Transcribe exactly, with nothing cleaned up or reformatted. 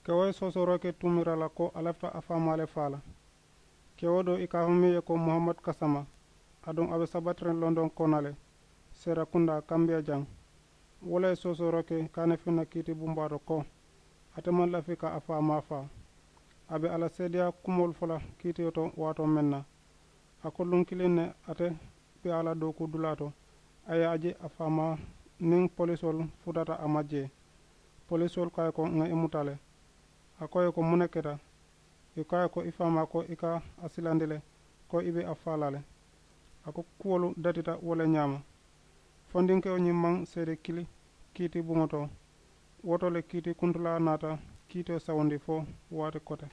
Kewo ye soosooroo ke tumiira la ko a lafita a faamaa le faa la. Kewo do i ka a fo meŋ ye ko muhammad kasama, aduŋ a be sabatiriŋ londoŋ kona le, seerakundaa kambiya jaŋ. Wo le ye soosooroo ke kaane fiŋ na kiiti bumbaato ko, ate maŋ lafi ka a faamaa faa. A be a la seedeyaa kumoolu fo la kiitiyo to waatoo meŋ na, a ko luŋ kiliŋ ne ate be a la dookuu dulaa to, a ye a je a faamaa niŋ polisoolu futata a ma jee. Polisoolu ko a ye ko ŋa i muta le. A ko a ye ko muŋ ne keta? I ko a ye ko i faamaa ko i ka a silandi le, ko i be a faa la le. A ko kuwolu datita wo le ñaama. Fondinkewo ñiŋ maŋ seede kili kiiti buŋo to. Wo to le kiiti kuntulaa naata kiitiyo sawundi fo waati kote.